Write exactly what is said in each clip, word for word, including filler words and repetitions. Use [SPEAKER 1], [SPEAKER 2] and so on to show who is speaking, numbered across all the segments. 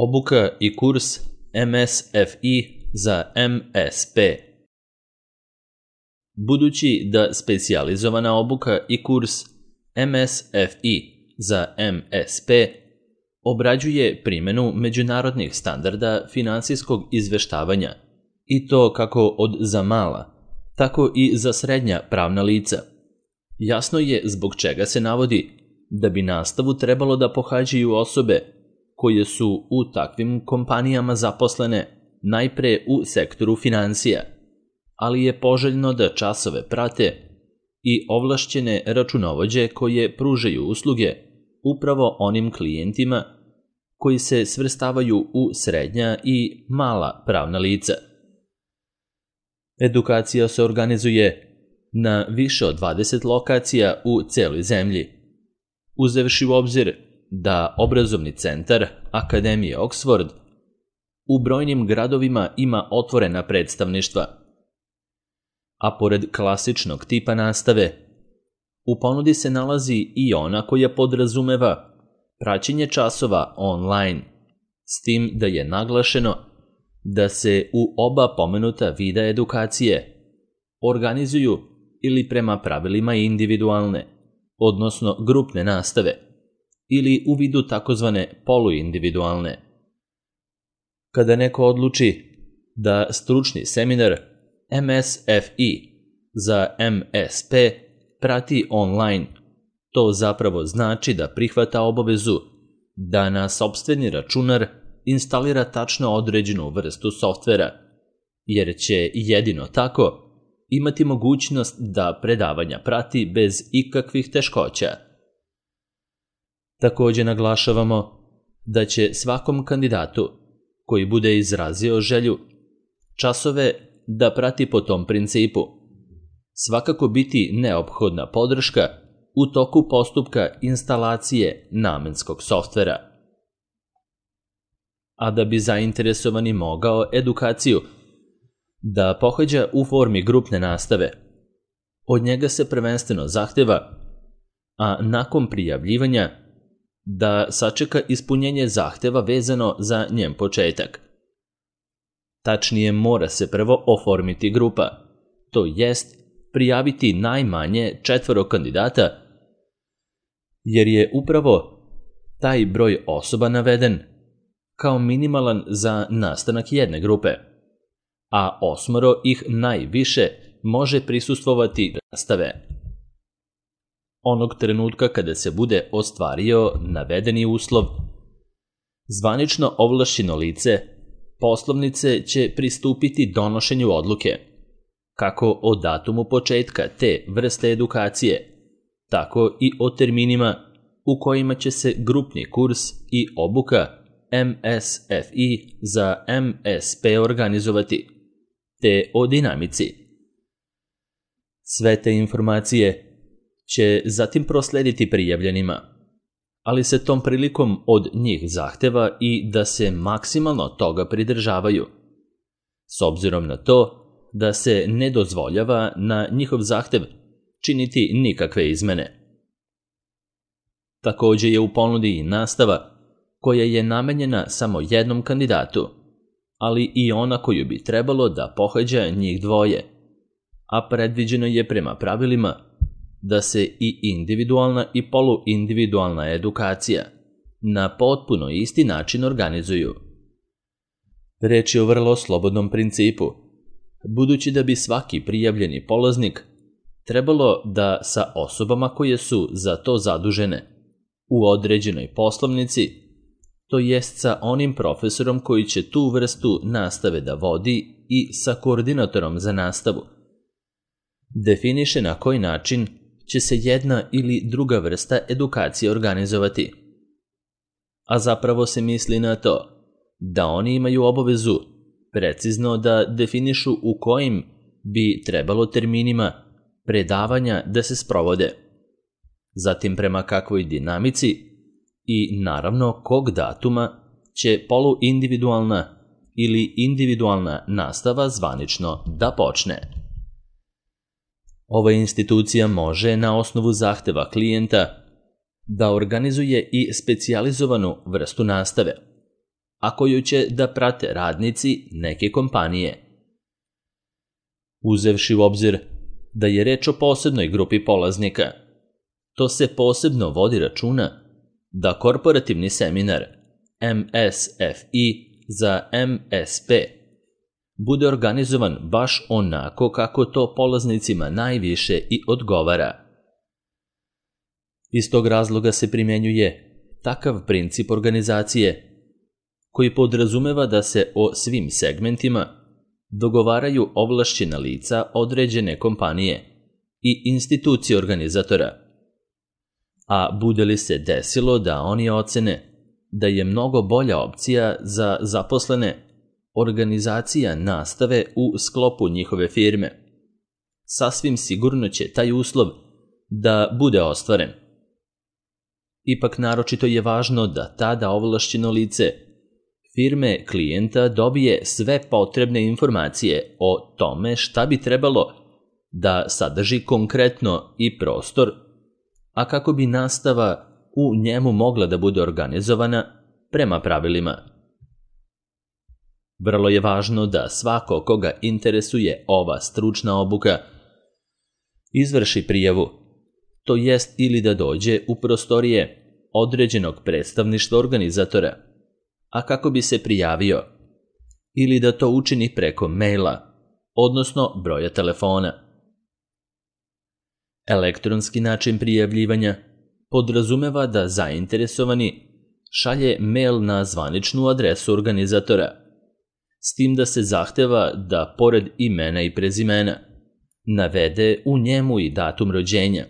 [SPEAKER 1] Obuka i kurs M S F I za M S P. Budući da specijalizovana obuka i kurs M S F I za M S P obrađuje primjenu međunarodnih standarda finansijskog izveštavanja, i to kako od za mala, tako i za srednja pravna lica. Jasno je zbog čega se navodi da bi nastavu trebalo da pohađaju osobe koje su u takvim kompanijama zaposlene najpre u sektoru finansija, ali je poželjno da časove prate i ovlašćene računovođe koje pružaju usluge upravo onim klijentima koji se svrstavaju u srednja i mala pravna lica. Edukacija se organizuje na više od dvadeset lokacija u celoj zemlji, uzevši u obzir da obrazovni centar Akademije Oxford u brojnim gradovima ima otvorena predstavništva. A pored klasičnog tipa nastave, u ponudi se nalazi i ona koja podrazumeva praćenje časova online, s tim da je naglašeno da se u oba pomenuta vida edukacije organizuju ili prema pravilima individualne, odnosno grupne nastave, ili u vidu takozvane poluindividualne. Kada neko odluči da stručni seminar M S F I za M S P prati online, to zapravo znači da prihvata obavezu da na sopstveni računar instalira tačno određenu vrstu softvera, jer će jedino tako imati mogućnost da predavanja prati bez ikakvih teškoća. Također naglašavamo da će svakom kandidatu koji bude izrazio želju časove da prati po tom principu svakako biti neophodna podrška u toku postupka instalacije namenskog softvera. A da bi zainteresovani mogao edukaciju da pohađa u formi grupne nastave, od njega se prvenstveno zahteva, a nakon prijavljivanja, da sačeka ispunjenje zahteva vezano za njen početak. Tačnije, mora se prvo oformiti grupa, to jest prijaviti najmanje četvoro kandidata, jer je upravo taj broj osoba naveden kao minimalan za nastanak jedne grupe, a osmoro ih najviše može prisustvovati nastave. Onog trenutka kada se bude ostvario navedeni uslov, zvanično ovlašćeno lice poslovnice će pristupiti donošenju odluke, kako o datumu početka te vrste edukacije, tako i o terminima u kojima će se grupni kurs i obuka M S F I za M S P organizovati, te o dinamici. Sve te informacije će zatim proslediti prijavljenima, ali se tom prilikom od njih zahteva i da se maksimalno toga pridržavaju, s obzirom na to da se ne dozvoljava na njihov zahtev činiti nikakve izmene. Također je u ponudi i nastava koja je namenjena samo jednom kandidatu, ali i ona koju bi trebalo da pohađa njih dvoje, a predviđeno je prema pravilima da se i individualna i poluindividualna edukacija na potpuno isti način organizuju. Reč je o vrlo slobodnom principu, budući da bi svaki prijavljeni polaznik trebalo da sa osobama koje su za to zadužene u određenoj poslovnici, to jest sa onim profesorom koji će tu vrstu nastave da vodi i sa koordinatorom za nastavu, definiše na koji način će se jedna ili druga vrsta edukacije organizovati. A zapravo se misli na to da oni imaju obavezu precizno da definišu u kojim bi trebalo terminima predavanja da se sprovode, zatim prema kakvoj dinamici i naravno kog datuma će poluindividualna ili individualna nastava zvanično da počne. Ova institucija može na osnovu zahteva klijenta da organizuje i specijalizovanu vrstu nastave, a koju će da prate radnici neke kompanije. Uzevši u obzir da je reč o posebnoj grupi polaznika, to se posebno vodi računa da korporativni seminar M S F I za M S P bude organizovan baš onako kako to polaznicima najviše i odgovara. Iz tog razloga se primjenjuje takav princip organizacije koji podrazumeva da se o svim segmentima dogovaraju ovlašćena lica određene kompanije i institucije organizatora. A bude li se desilo da oni ocene da je mnogo bolja opcija za zaposlene organizacija nastave u sklopu njihove firme, sasvim sigurno će taj uslov da bude ostvaren. Ipak naročito je važno da tada ovlašćeno lice firme klijenta dobije sve potrebne informacije o tome šta bi trebalo da sadrži konkretno i prostor, a kako bi nastava u njemu mogla da bude organizovana prema pravilima. Vrlo je važno da svako koga interesuje ova stručna obuka izvrši prijavu, to jest ili da dođe u prostorije određenog predstavništva organizatora, a kako bi se prijavio, ili da to učini preko maila, odnosno broja telefona. Elektronski način prijavljivanja podrazumeva da zainteresovani šalje mail na zvaničnu adresu organizatora, s tim da se zahteva da pored imena i prezimena navede u njemu i datum rođenja,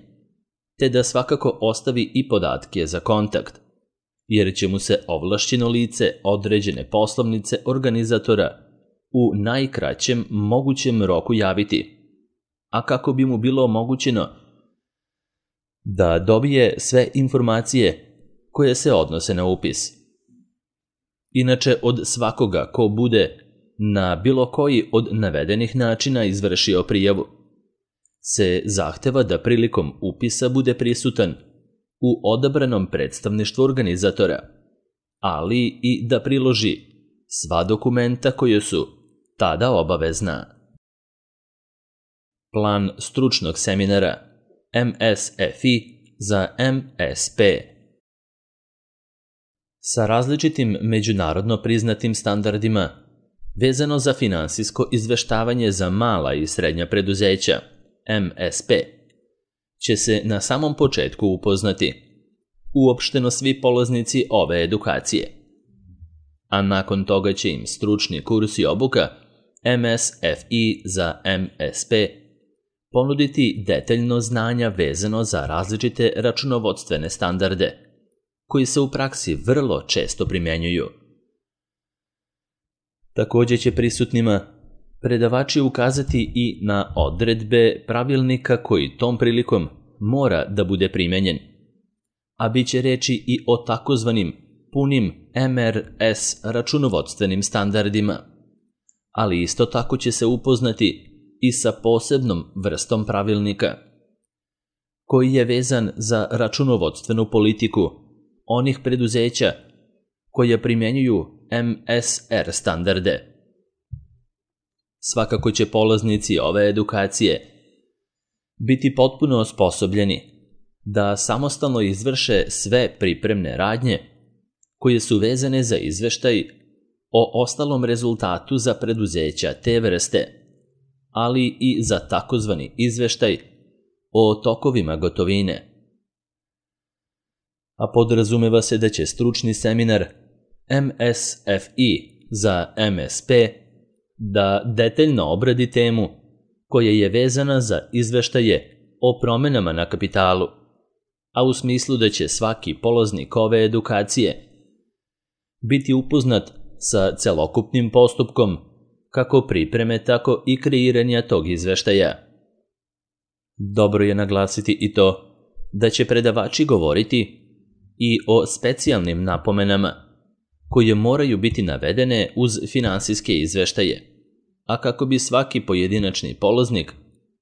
[SPEAKER 1] te da svakako ostavi i podatke za kontakt, jer će mu se ovlašćeno lice određene poslovnice organizatora u najkraćem mogućem roku javiti, a kako bi mu bilo omogućeno da dobije sve informacije koje se odnose na upis. Inače, od svakoga ko bude na bilo koji od navedenih načina izvršio prijavu, se zahteva da prilikom upisa bude prisutan u odabranom predstavništvu organizatora, ali i da priloži sva dokumenta koje su tada obavezna. Plan stručnog seminara M S F I za M S P. Sa različitim međunarodno priznatim standardima vezano za finansijsko izveštavanje za mala i srednja preduzeća M S P će se na samom početku upoznati uopšteno svi polaznici ove edukacije, a nakon toga će im stručni kurs i obuka M S F I za M S P ponuditi detaljno znanja vezano za različite računovodstvene standarde, koji se u praksi vrlo često primjenjuju. Također će prisutnima predavači ukazati i na odredbe pravilnika koji tom prilikom mora da bude primenjen, a bit će reči i o takozvanim punim M R S računovodstvenim standardima, ali isto tako će se upoznati i sa posebnom vrstom pravilnika, koji je vezan za računovodstvenu politiku onih preduzeća koje primjenjuju M S R standarde. Svakako će polaznici ove edukacije biti potpuno osposobljeni da samostalno izvrše sve pripremne radnje koje su vezane za izveštaj o ostalom rezultatu za preduzeća te vrste, ali i za takozvani izveštaj o tokovima gotovine. A podrazumeva se da će stručni seminar M S F I za M S P da detaljno obradi temu koja je vezana za izveštaje o promenama na kapitalu, a u smislu da će svaki polaznik ove edukacije biti upoznat sa celokupnim postupkom kako pripreme, tako i kreiranja tog izveštaja. Dobro je naglasiti i to da će predavači govoriti i o specijalnim napomenama koje moraju biti navedene uz finansijske izveštaje, a kako bi svaki pojedinačni polaznik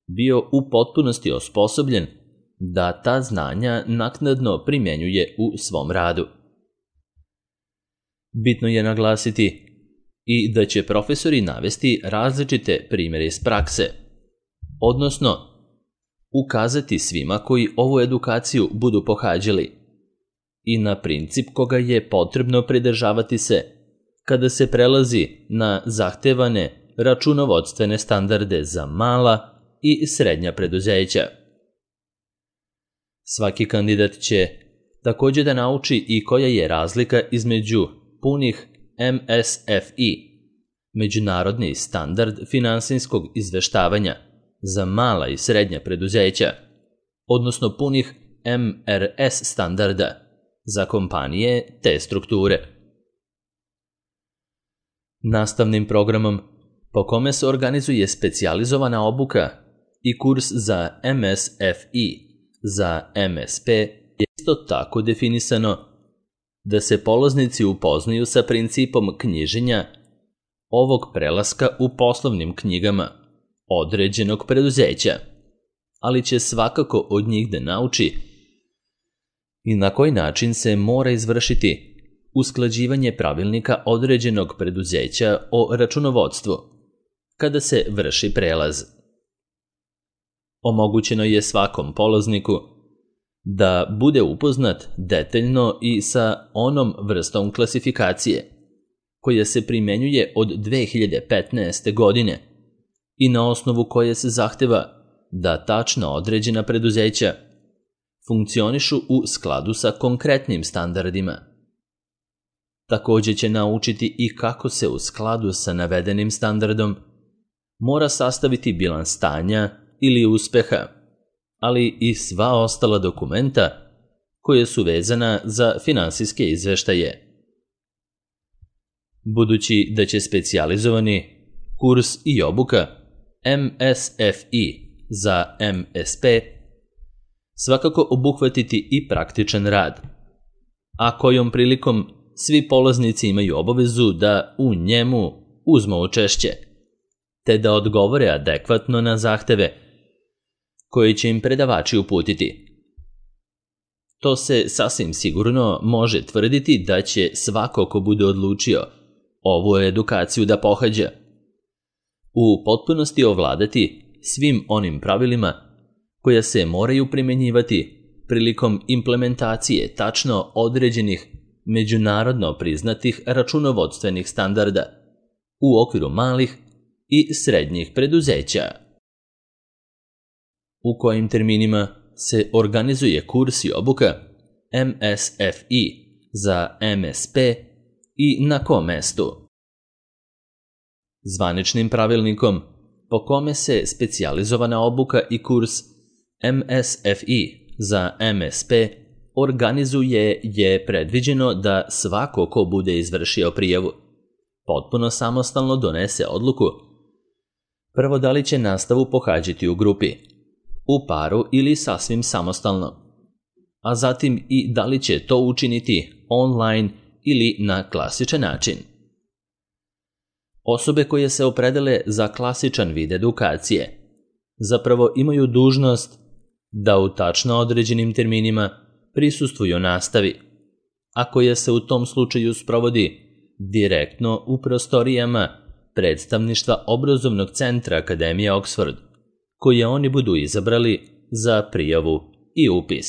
[SPEAKER 1] bio u potpunosti osposobljen da ta znanja naknadno primjenjuje u svom radu. Bitno je naglasiti i da će profesori navesti različite primjere iz prakse, odnosno ukazati svima koji ovu edukaciju budu pohađali i na princip koga je potrebno pridržavati se kada se prelazi na zahtevane računovodstvene standarde za mala i srednja preduzeća. Svaki kandidat će također da nauči i koja je razlika između punih M S F I, međunarodni standard finansijskog izveštavanja za mala i srednja preduzeća, odnosno punih M R S standarda za kompanije te strukture. Nastavnim programom po kome se organizuje specijalizovana obuka i kurs za M S F I za M S P je isto tako definisano da se polaznici upoznaju sa principom knjiženja ovog prelaska u poslovnim knjigama određenog preduzeća, ali će svakako od njih da nauči i na koji način se mora izvršiti usklađivanje pravilnika određenog preduzeća o računovodstvu kada se vrši prelaz. Omogućeno je svakom polazniku da bude upoznat detaljno i sa onom vrstom klasifikacije koja se primenjuje od dve hiljade petnaeste. godine i na osnovu koje se zahteva da tačno određena preduzeća funkcionišu u skladu sa konkretnim standardima. Također će naučiti i kako se u skladu sa navedenim standardom mora sastaviti bilans stanja ili uspeha, ali i sva ostala dokumenta koje su vezana za finansijske izveštaje. Budući da će specijalizovani kurs i obuka M S F I za M S P svakako obuhvatiti i praktičan rad, a kojom prilikom svi polaznici imaju obavezu da u njemu uzmu učešće, te da odgovore adekvatno na zahteve koje će im predavači uputiti. To se sasvim sigurno može tvrditi da će svako ko bude odlučio ovu edukaciju da pohađa u potpunosti ovladati svim onim pravilima koja se moraju primjenjivati prilikom implementacije tačno određenih međunarodno priznatih računovodstvenih standarda u okviru malih i srednjih preduzeća. U kojim terminima se organizuje kurs i obuka M S F I za M S P i na kom mestu. Zvaničnim pravilnikom po kome se specijalizovana obuka i kurs M S F I za M S P organizuje je predviđeno da svako ko bude izvršio prijavu potpuno samostalno donese odluku prvo da li će nastavu pohađati u grupi, u paru ili sasvim samostalno, a zatim i da li će to učiniti online ili na klasičan način. Osobe koje se opredele za klasičan vid edukacije zapravo imaju dužnost da u tačno određenim terminima prisustvuju nastavi, a koja se u tom slučaju sprovodi direktno u prostorijama predstavništva obrazovnog centra Akademije Oxford, koje oni budu izabrali za prijavu i upis.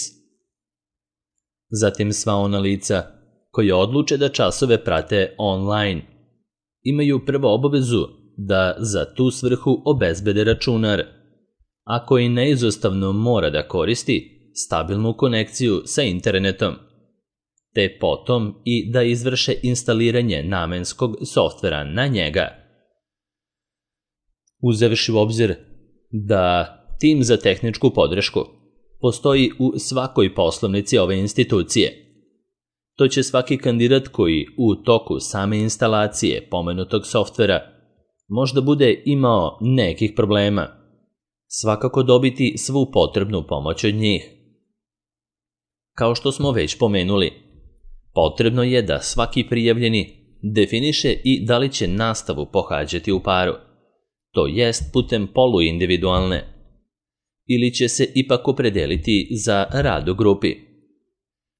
[SPEAKER 1] Zatim sva ona lica koje odluče da časove prate online imaju prvo obavezu da za tu svrhu obezbede računar, a koji neizostavno mora da koristi stabilnu konekciju sa internetom, te potom i da izvrše instaliranje namenskog softvera na njega. Uzevši u obzir da tim za tehničku podršku postoji u svakoj poslovnici ove institucije, to će svaki kandidat koji u toku same instalacije pomenutog softvera možda bude imao nekih problema, svakako dobiti svu potrebnu pomoć od njih. Kao što smo već pomenuli, potrebno je da svaki prijavljeni definiše i da li će nastavu pohađati u paru, to jest putem poluindividualne, ili će se ipak opredeliti za rad u grupi.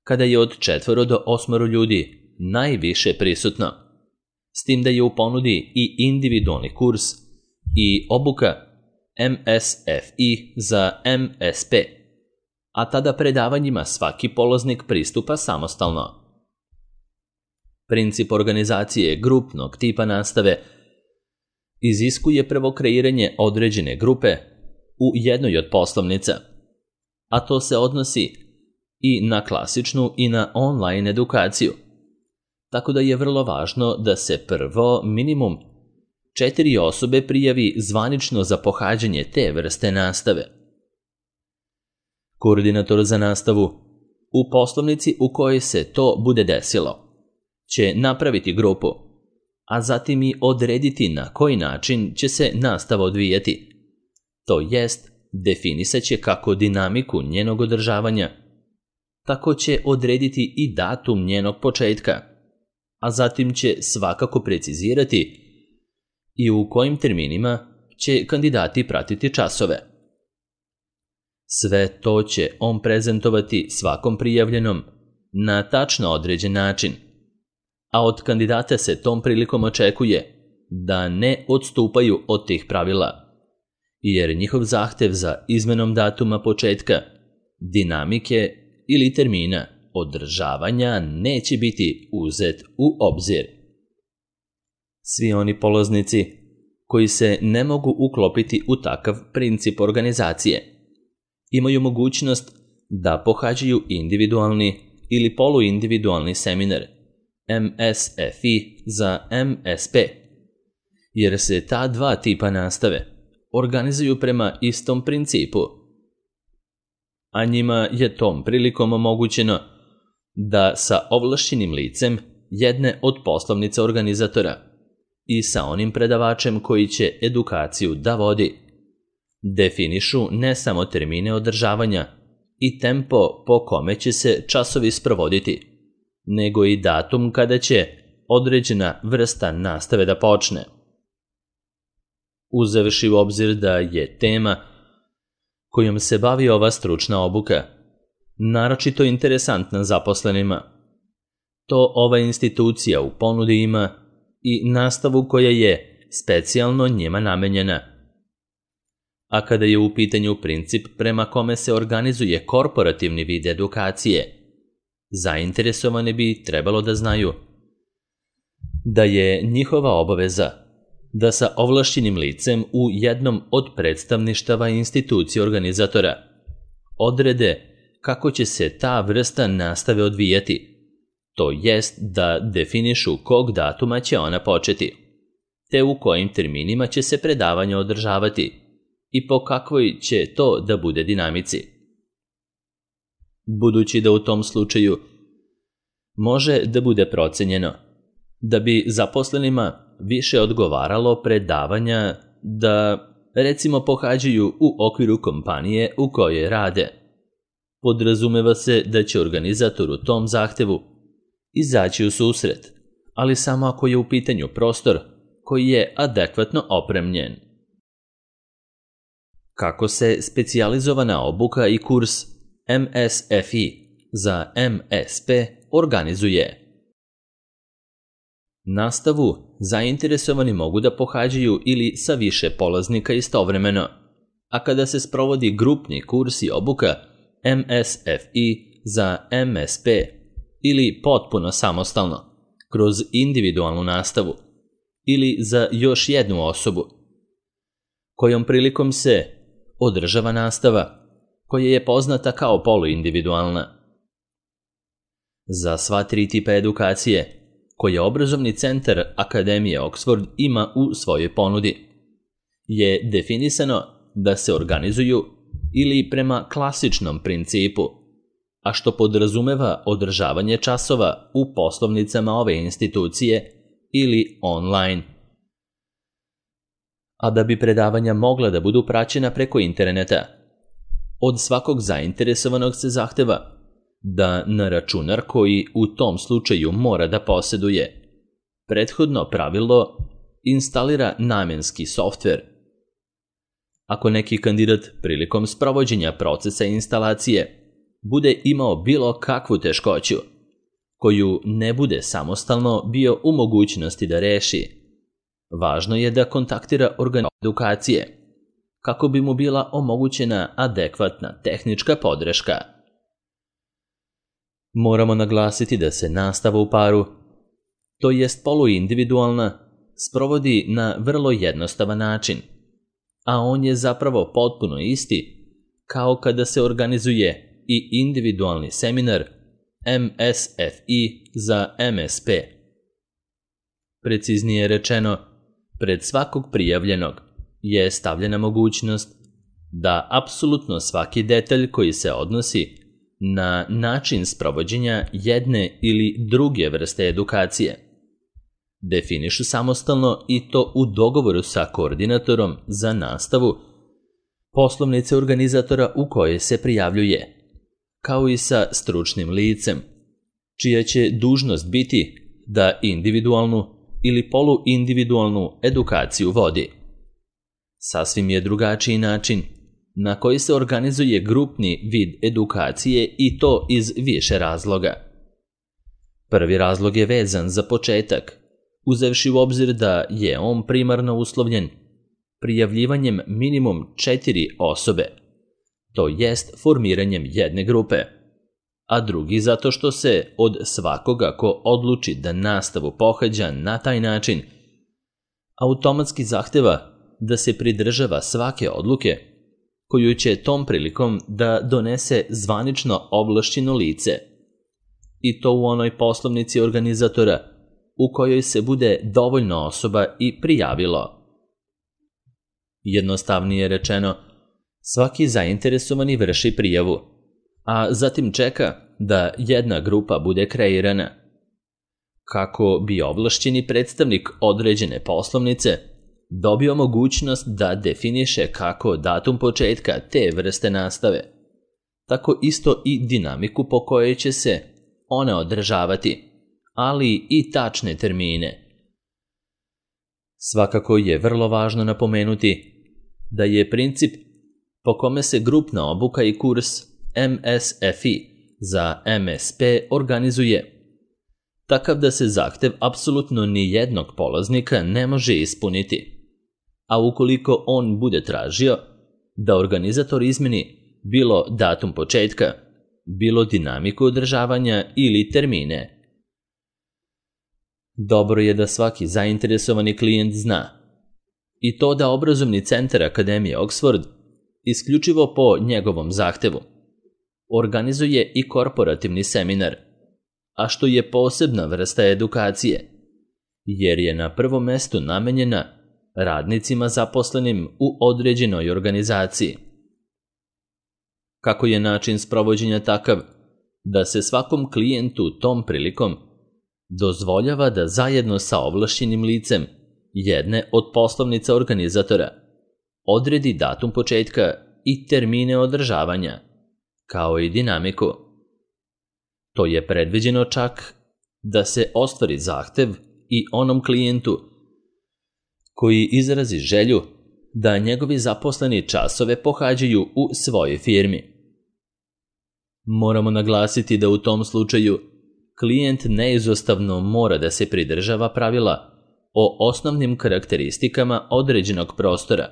[SPEAKER 1] Kada je od četvoro do osmoro ljudi najviše prisutno, s tim da je u ponudi i individualni kurs i obuka M S F I za M S P, a tada predavanjima svaki polaznik pristupa samostalno. Princip organizacije grupnog tipa nastave iziskuje prvo kreiranje određene grupe u jednoj od poslovnica, a to se odnosi i na klasičnu i na online edukaciju, tako da je vrlo važno da se prvo minimum četiri osobe prijavi zvanično za pohađanje te vrste nastave. Koordinator za nastavu u poslovnici u kojoj se to bude desilo će napraviti grupu, a zatim i odrediti na koji način će se nastava odvijati, to jest definisat će kako dinamiku njenog održavanja, tako će odrediti i datum njenog početka, a zatim će svakako precizirati i u kojim terminima će kandidati pratiti časove. Sve to će on prezentovati svakom prijavljenom na tačno određen način, a od kandidata se tom prilikom očekuje da ne odstupaju od tih pravila, jer njihov zahtev za izmenom datuma početka, dinamike ili termina održavanja neće biti uzet u obzir. Svi oni polaznici koji se ne mogu uklopiti u takav princip organizacije imaju mogućnost da pohađaju individualni ili poluindividualni seminar M S F I za M S P, jer se ta dva tipa nastave organizuju prema istom principu, a njima je tom prilikom omogućeno da sa ovlašćenim licem jedne od poslovnica organizatora i sa onim predavačem koji će edukaciju da vodi definišu ne samo termine održavanja i tempo po kome će se časovi sprovoditi, nego i datum kada će određena vrsta nastave da počne. Uzevši u obzir da je tema kojom se bavi ova stručna obuka naročito interesantna zaposlenima, to ova institucija u ponudi ima i nastavu koja je specijalno njima namenjena. A kada je u pitanju princip prema kome se organizuje korporativni vid edukacije, zainteresovani bi trebalo da znaju da je njihova obaveza da sa ovlašćenim licem u jednom od predstavništava institucije organizatora odrede kako će se ta vrsta nastave odvijati, to jest da definišu kog datuma će ona početi, te u kojim terminima će se predavanja održavati i po kakvoj će to da bude dinamici. Budući da u tom slučaju može da bude procenjeno da bi zaposlenima više odgovaralo predavanja da, recimo, pohađaju u okviru kompanije u kojoj rade, podrazumeva se da će organizator u tom zahtevu izaći u susret, ali samo ako je u pitanju prostor koji je adekvatno opremljen. Kako se specijalizovana obuka i kurs M S F I za M S P organizuje? Nastavu zainteresovani mogu da pohađaju ili sa više polaznika istovremeno, a kada se sprovodi grupni kurs i obuka M S F I za M S P ili potpuno samostalno, kroz individualnu nastavu ili za još jednu osobu, kojom prilikom se održava nastava koja je poznata kao poluindividualna. Za sva tri tipa edukacije koje obrazovni centar Akademije Oxford ima u svojoj ponudi je definisano da se organizuju ili prema klasičnom principu, a što podrazumeva održavanje časova u poslovnicama ove institucije ili online. A da bi predavanja mogla da budu praćena preko interneta, od svakog zainteresovanog se zahteva da na računar koji u tom slučaju mora da poseduje prethodno pravilo instalira namenski softver. Ako neki kandidat prilikom sprovođenja procesa instalacije bude imao bilo kakvu teškoću, koju ne bude samostalno bio u mogućnosti da reši. Važno je da kontaktira organ edukacije, kako bi mu bila omogućena adekvatna tehnička podrška. Moramo naglasiti da se nastava u paru, to jest poluindividualna, sprovodi na vrlo jednostavan način, a on je zapravo potpuno isti kao kada se organizuje i individualni seminar M S F I za M S P. Preciznije rečeno, pred svakog prijavljenog je stavljena mogućnost da apsolutno svaki detalj koji se odnosi na način sprovođenja jedne ili druge vrste edukacije definišu samostalno i to u dogovoru sa koordinatorom za nastavu poslovnice organizatora u kojoj se prijavljuje, kao i sa stručnim licem, čija će dužnost biti da individualnu ili poluindividualnu edukaciju vodi. Sasvim je drugačiji način na koji se organizuje grupni vid edukacije i to iz više razloga. Prvi razlog je vezan za početak, uzevši u obzir da je on primarno uslovljen prijavljivanjem minimum četiri osobe, to jest formiranjem jedne grupe, a drugi zato što se od svakoga ko odluči da nastavu pohađa na taj način, automatski zahteva da se pridržava svake odluke koju će tom prilikom da donese zvanično ovlašćeno lice, i to u onoj poslovnici organizatora u kojoj se bude dovoljno osoba i prijavilo. Jednostavnije rečeno, svaki zainteresovani vrši prijavu, a zatim čeka da jedna grupa bude kreirana, kako bi ovlašćeni predstavnik određene poslovnice dobio mogućnost da definiše kako datum početka te vrste nastave, tako isto i dinamiku po kojoj će se one održavati, ali i tačne termine. Svakako je vrlo važno napomenuti da je princip po kome se grupna obuka i kurs M S F I za M S P organizuje takav da se zahtev apsolutno ni jednog polaznika ne može ispuniti, a ukoliko on bude tražio da organizator izmeni bilo datum početka, bilo dinamiku održavanja ili termine. Dobro je da svaki zainteresovani klijent zna i to da obrazovni centar Akademije Oxford, isključivo po njegovom zahtevu, organizuje i korporativni seminar, a što je posebna vrsta edukacije, jer je na prvom mestu namenjena radnicima zaposlenim u određenoj organizaciji. Kako je način sprovođenja takav da se svakom klijentu tom prilikom dozvoljava da zajedno sa ovlašćenim licem jedne od poslovnica organizatora odredi datum početka i termine održavanja, kao i dinamiku. To je predviđeno čak da se ostvari zahtev i onom klijentu koji izrazi želju da njegovi zaposleni časove pohađaju u svojoj firmi. Moramo naglasiti da u tom slučaju klijent neizostavno mora da se pridržava pravila o osnovnim karakteristikama određenog prostora,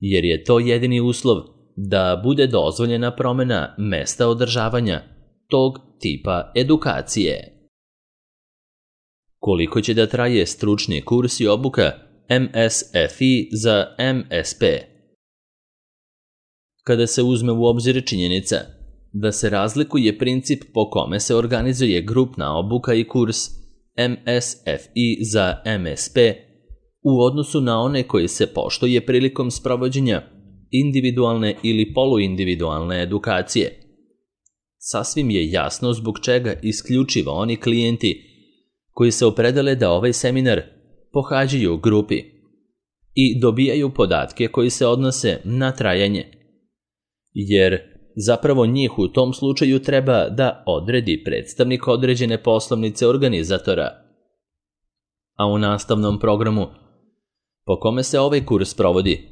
[SPEAKER 1] jer je to jedini uslov da bude dozvoljena promjena mesta održavanja tog tipa edukacije. Koliko će da traje stručni kurs i obuka M S F I za M S P? Kada se uzme u obzir činjenica da se razlikuje princip po kome se organizuje grupna obuka i kurs M S F I za M S P u odnosu na one koji se poštuje prilikom sprovođenja individualne ili poluindividualne edukacije, sasvim je jasno zbog čega isključivo oni klijenti koji se opredele da ovaj seminar pohađaju u grupi i dobijaju podatke koji se odnose na trajanje, jer zapravo njih u tom slučaju treba da odredi predstavnik određene poslovnice organizatora. A u nastavnom programu po kome se ovaj kurs provodi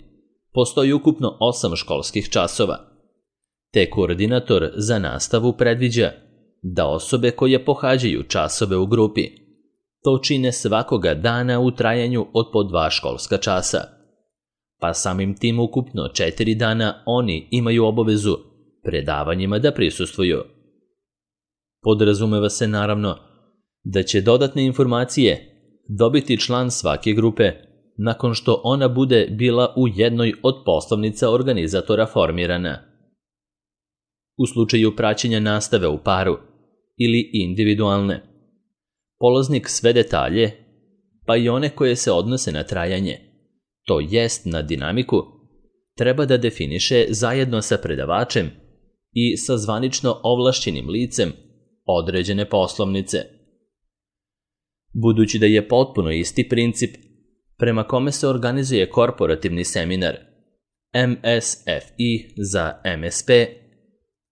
[SPEAKER 1] postoji ukupno osam školskih časova, te koordinator za nastavu predviđa da osobe koje pohađaju časove u grupi to čine svakoga dana u trajanju od po dva školska časa, pa samim tim ukupno četiri dana oni imaju obavezu predavanjima da prisustvuju. Podrazumeva se naravno da će dodatne informacije dobiti član svake grupe nakon što ona bude bila u jednoj od poslovnica organizatora formirana. U slučaju praćenja nastave u paru ili individualne, polaznik sve detalje, pa i one koje se odnose na trajanje, to jest na dinamiku, treba da definiše zajedno sa predavačem i sa zvanično ovlašćenim licem određene poslovnice. Budući da je potpuno isti princip prema kome se organizuje korporativni seminar M S F I za M S P,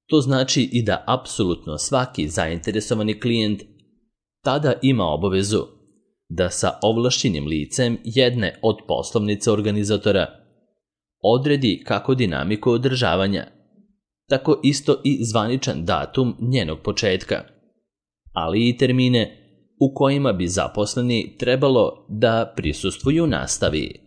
[SPEAKER 1] to znači i da apsolutno svaki zainteresovani klijent tada ima obavezu da sa ovlašćenim licem jedne od poslovnica organizatora odredi kako dinamiku održavanja, tako isto i zvaničan datum njenog početka, ali i termine u kojima bi zaposleni trebalo da prisustvuju nastavi.